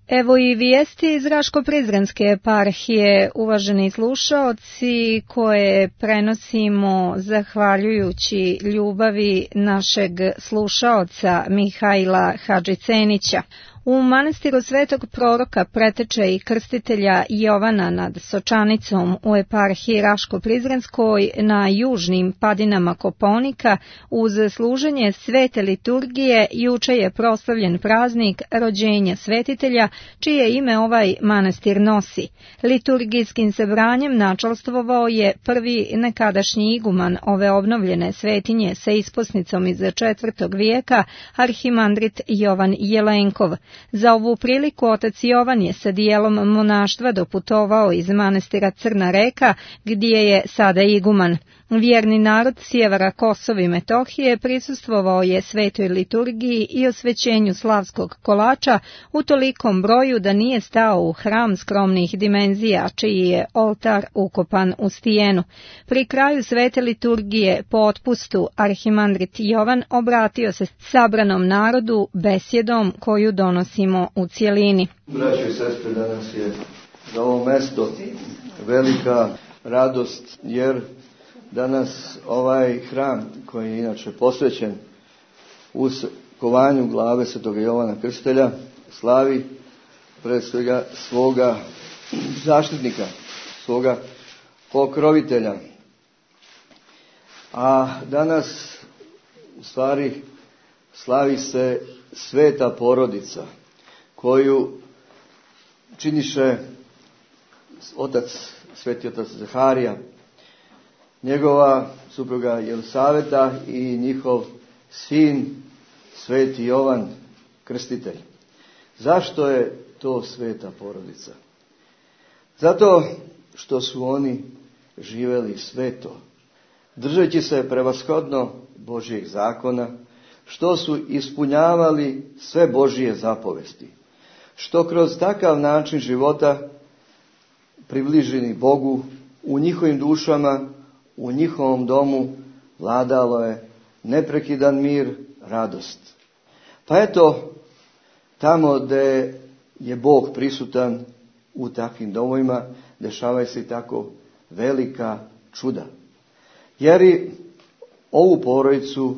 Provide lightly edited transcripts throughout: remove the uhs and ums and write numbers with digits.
Evo i vijesti iz Raško-Prizrenske eparhije, uvaženi slušaoci, koje prenosimo zahvaljujući ljubavi našeg slušaoca Mihajla Hadžicenića. U manastiru Svetog proroka preteče i krstitelja Jovana nad Sočanicom u eparhiji Raško-Prizrenskoj na južnim padinama Kopaonika uz služenje svete liturgije juče je proslavljen praznik rođenja svetitelja, čije ime ovaj manastir nosi. Liturgijskim sebranjem načalstvovao je prvi nekadašnji iguman ove obnovljene svetinje sa isposnicom iz 4. vijeka, arhimandrit Jovan Jelenkov. Za ovu priliku otac Jovan je sa dijelom monaštva doputovao iz manastira Crna Reka, gdje je sada iguman. Vjerni narod sjevera Kosova i Metohije prisustvovao je svetoj liturgiji i osvećenju slavskog kolača u tolikom broju da nije stao u hram skromnih dimenzija, čiji je oltar ukopan u stijenu. Pri kraju svete liturgije po otpustu arhimandrit Jovan obratio se sabranom narodu besjedom koju donosimo u cjelini. Braćo i sestre, danas je za ovo mesto velika radost, jer danas ovaj hram, koji je inače posvećen uskovanju glave Svetog Jovana Krstitelja, slavi pred svega svoga zaštitnika, svoga pokrovitelja. A danas u stvari slavi se sveta porodica, koju činiše sveti otac Zaharija, njegova supruga Jelisaveta i njihov sin sveti Jovan Krstitelj. Zašto je to sveta porodica? Zato što su oni živjeli sveto, držeći se prevashodno Božjeg zakona, što su ispunjavali sve Božje zapovesti, što kroz takav način života približeni Bogu u njihovim dušama, u njihovom domu vladalo je neprekidan mir, radost. Pa eto, tamo gdje je Bog prisutan u takvim domovima, dešavaju se i tako velika čuda. Jer i ovu porodicu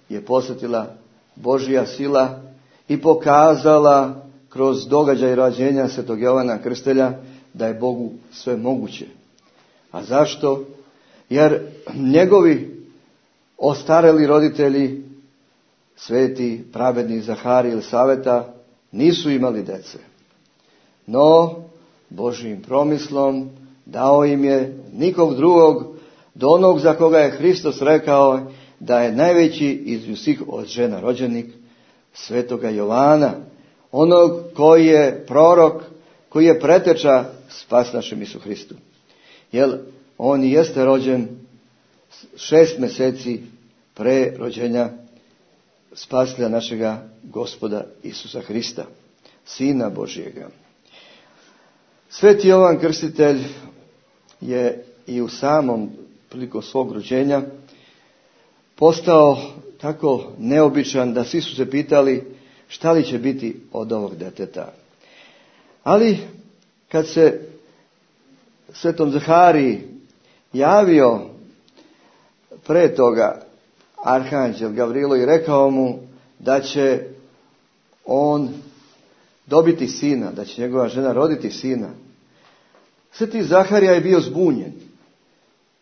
je posjetila Božja sila i pokazala kroz događaj rođenja Svetog Jovana Krstitelja da je Bogu sve moguće. A zašto? Jer njegovi ostareli roditelji, sveti pravedni Zaharij i Jelisaveta, nisu imali dece. No, Božjim promislom dao im je nikog drugog do onog za koga je Hristos rekao da je najveći između svih od žena rođenih, svetoga Jovana, onog koji je prorok, koji je preteča spas našem Isu Hristu. Jer on jeste rođen 6 mjeseci pre rođenja spasitelja našega Gospoda Isusa Hrista, Sina Božjega. Sveti Jovan Krstitelj je i u samom priliku svog rođenja postao tako neobičan da svi su se pitali šta li će biti od ovog deteta. Ali kad se svetom Zahariji javio pre toga arhanđel Gavrilo i rekao mu da će on dobiti sina, da će njegova žena roditi sina, sveti Zaharija je bio zbunjen.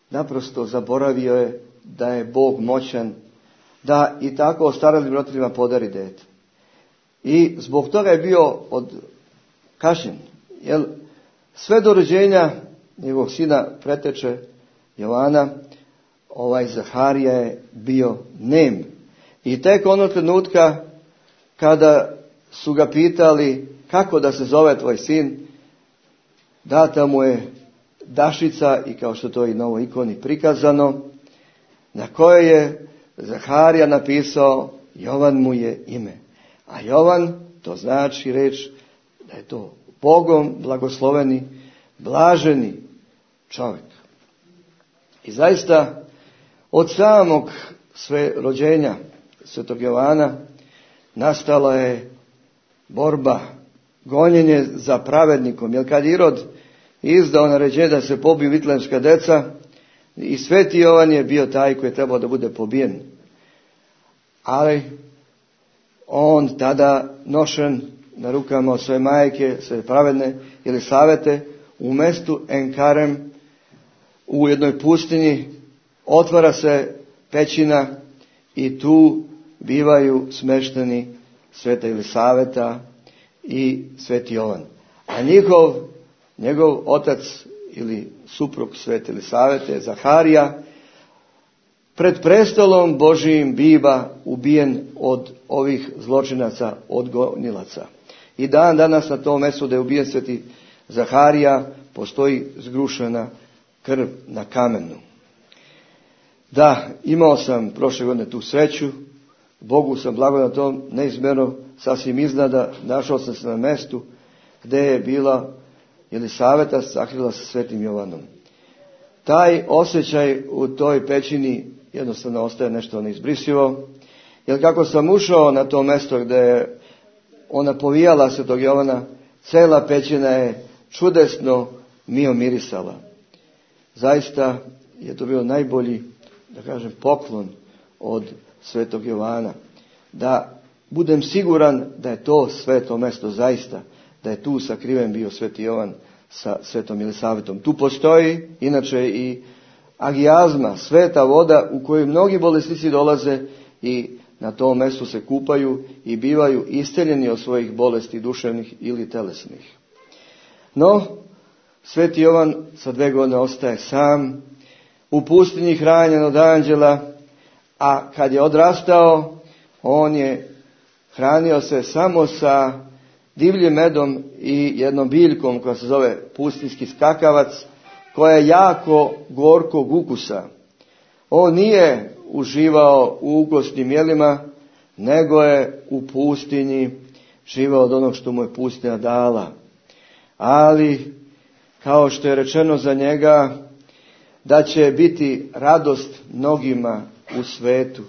Naprosto zaboravio je da je Bog moćan da i tako ostaralim roditeljima podari dete. I zbog toga je bio kažnjen. Jer sve do rođenja njegovog sina preteče Jovana, ovaj Zaharija je bio nem. I tek onog trenutka kada su ga pitali kako da se zove tvoj sin, data mu je dašica, i kao što to i na ovoj ikoni prikazano, na kojoj je Zaharija napisao Jovan mu je ime. A Jovan, to znači reč da je to Bogom blagosloveni, blaženi čovjek. I zaista od samog sve rođenja svetog Jovana nastala je borba gonjenje za pravednikom. Jer kad Irod izdao naređenje da se pobiju vitlejemska deca, i Sveti Jovan je bio taj koji je trebao da bude pobijen. Ali on tada nošen na rukama od svoje majke, svoje pravedne Jelisavete, u mestu Enkarem, u jednoj pustinji, otvara se pećina i tu bivaju smešteni Sveta Jelisaveta i Sveti Jovan. A njegov otac ili suprug Svete Jelisavete, Zaharija, pred prestolom Božijim biva ubijen od ovih zločinaca, od gonilaca. I dan danas na tom mjestu da je ubijen Sveti Zaharija postoji zgrušena krv na kamenu. Da, imao sam prošle godine tu sreću, Bogu sam blago na tom, neizmjerno, sasvim iznada, našao sam se na mjestu gdje je bila Jelisaveta sakrila sa Svetim Jovanom. Taj osjećaj u toj pećini jednostavno ostaje nešto neizbrisivo, jer kako sam ušao na to mjesto gdje je ona povijala Svetog Jovana, cela pećina je čudesno mirisala. Zaista je to bio najbolji, da kažem, poklon od Svetog Jovana. Da budem siguran da je to sveto mjesto zaista, da je tu sakriven bio Sveti Jovan sa Svetom Jelisavetom. Tu postoji inače i agijazma, sveta voda u koju mnogi bolesnici dolaze i na tom mjestu se kupaju i bivaju isceljeni od svojih bolesti duševnih ili telesnih. No, Sveti Jovan sa 2 godine ostaje sam, u pustinji hranjen od anđela, a kad je odrastao, on je hranio se samo sa divljim medom i jednom biljkom koja se zove pustinjski skakavac, koja je jako gorkog ukusa. On nije uživao u ukosnim jelima, nego je u pustinji živao od onog što mu je pustinja dala. Ali, kao što je rečeno za njega, da će biti radost mnogima u svetu.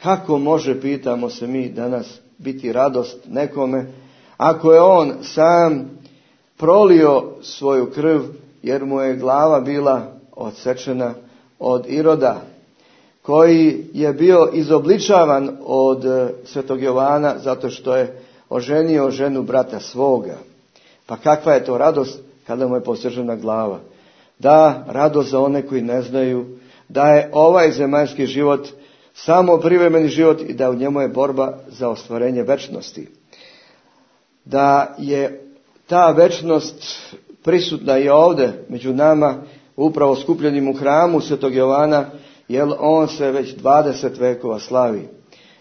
Kako može, pitamo se mi danas, biti radost nekome, ako je on sam prolio svoju krv, jer mu je glava bila odsečena od Iroda, koji je bio izobličavan od Svetog Jovana zato što je oženio ženu brata svoga. Pa kakva je to radost kada mu je posečena glava? Da, radost za one koji ne znaju da je ovaj zemaljski život samo privremeni život i da u njemu je borba za ostvarenje večnosti. Da je ta večnost prisutna i ovdje među nama, upravo skupljenim u hramu Svetog Jovana, jer on se već 20 vekova slavi.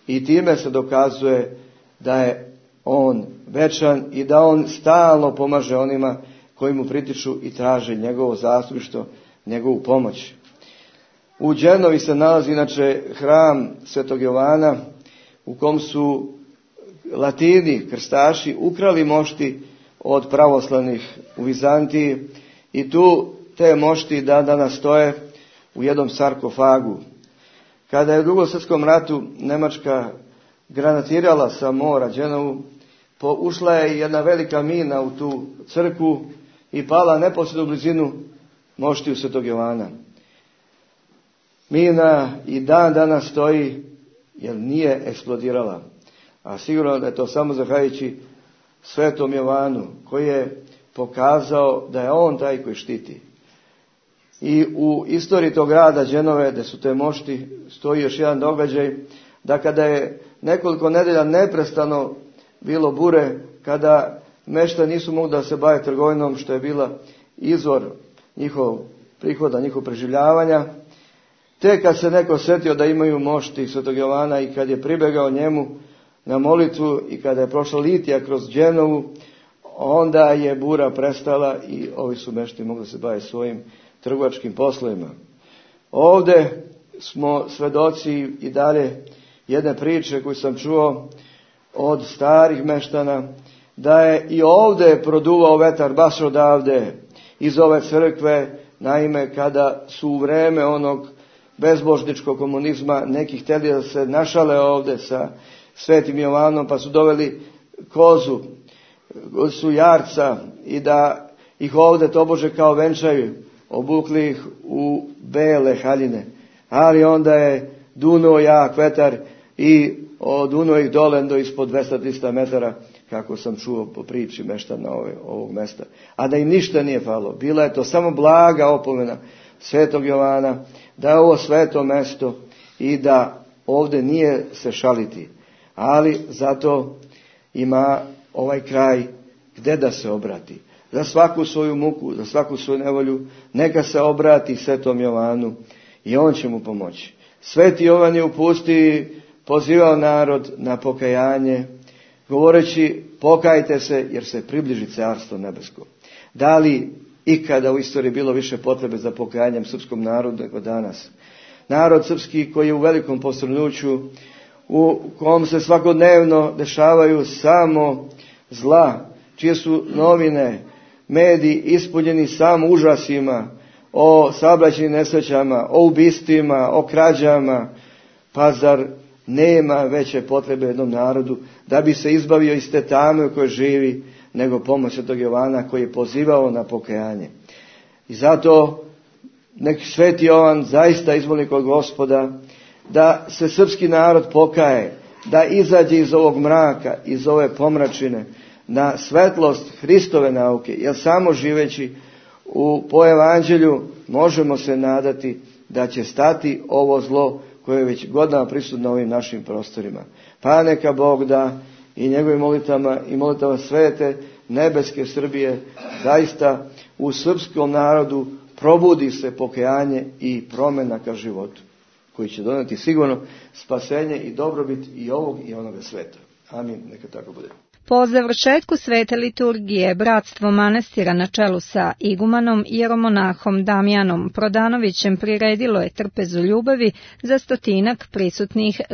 I time se dokazuje da je on večan i da on stalno pomaže onima koji mu pritiču i traže njegovo zastupništvo, njegovu pomoć. U Đenovi se nalazi inače hram Svetog Jovana u kom su Latini, krstaši, ukrali mošti od pravoslavnih u Vizantiji i tu te mošti danas stoje u jednom sarkofagu. Kada je u Drugom svjetskom ratu Njemačka granatirala sa mora Đenovu, ušla je jedna velika mina u tu crkvu i pala neposredno u blizinu moštiju Svetog Jovana. Mina i dan danas stoji jer nije eksplodirala. A sigurno da je to samo zahvaljujući Svetom Jovanu koji je pokazao da je on taj koji štiti. I u istoriji tog grada Đenove, gdje su te mošti, stoji još jedan događaj, da kada je nekoliko nedelja neprestano bilo bure, kada meštani nisu mogli da se bave trgovinom, što je bila izvor njihov prihoda, njihov preživljavanja, te kad se neko sjetio da imaju mošti Svetog Jovana i kad je pribegao njemu na molitvu i kada je prošla litija kroz Đenovu, onda je bura prestala i ovi su meštani mogli se baviti svojim trgovačkim poslovima. Ovdje smo svedoci i dalje jedne priče koju sam čuo od starih meštana, da je i ovdje produvao vetar baš odavde iz ove crkve. Naime, kada su u vreme onog bezbožničkog komunizma neki htjeli da se našale ovdje sa Svetim Jovanom, pa su doveli kozu su jarca i da ih ovdje tobože kao venčaju, obukli ih u bele haljine, ali onda je dunuo jak vetar i odunuo ih dole do ispod 200-300 metara, kako sam čuo po priči meštana ovog mesta. A da im ništa nije falilo. Bila je to samo blaga opomena Svetog Jovana da je ovo sveto mesto i da ovdje nije se šaliti. Ali zato ima ovaj kraj gdje da se obrati. Za svaku svoju muku, za svaku svoju nevolju, neka se obrati Svetom Jovanu i on će mu pomoći. Sveti Jovan je u pustiji pozivao narod na pokajanje, govoreći pokajte se jer se približi carstvo nebesko. Da li ikada u istoriji bilo više potrebe za pokajanjem srpskom narodu nego danas? Narod srpski koji je u velikom posrnuću, u kom se svakodnevno dešavaju samo zla, čije su novine, mediji ispunjeni samo užasima o saobraćajnim nesrećama, o ubistvima, o krađama, pa zar nema veće potrebe jednom narodu da bi se izbavio iz te tame u kojoj živi, nego pomoć Svetog Jovana koji je pozivao na pokajanje. I zato nek Sveti Jovan zaista izmoli kod Gospoda da se srpski narod pokaje, da izađe iz ovog mraka, iz ove pomračine, na svetlost Hristove nauke, jer samo živeći po evanđelju možemo se nadati da će stati ovo zlo koje je već godinama prisutno na ovim našim prostorima. Pa neka Bog da i njegovim molitama i molitama svete nebeske Srbije zaista u srpskom narodu probudi se pokajanje i promjena ka životu, koji će donijeti sigurno spasenje i dobrobit i ovog i onoga sveta. Amin, neka tako bude. Po završetku svete liturgije, bratstvo manastira na čelu sa igumanom jeromonahom Damjanom Prodanovićem priredilo je trpezu ljubavi za 100 prisutnih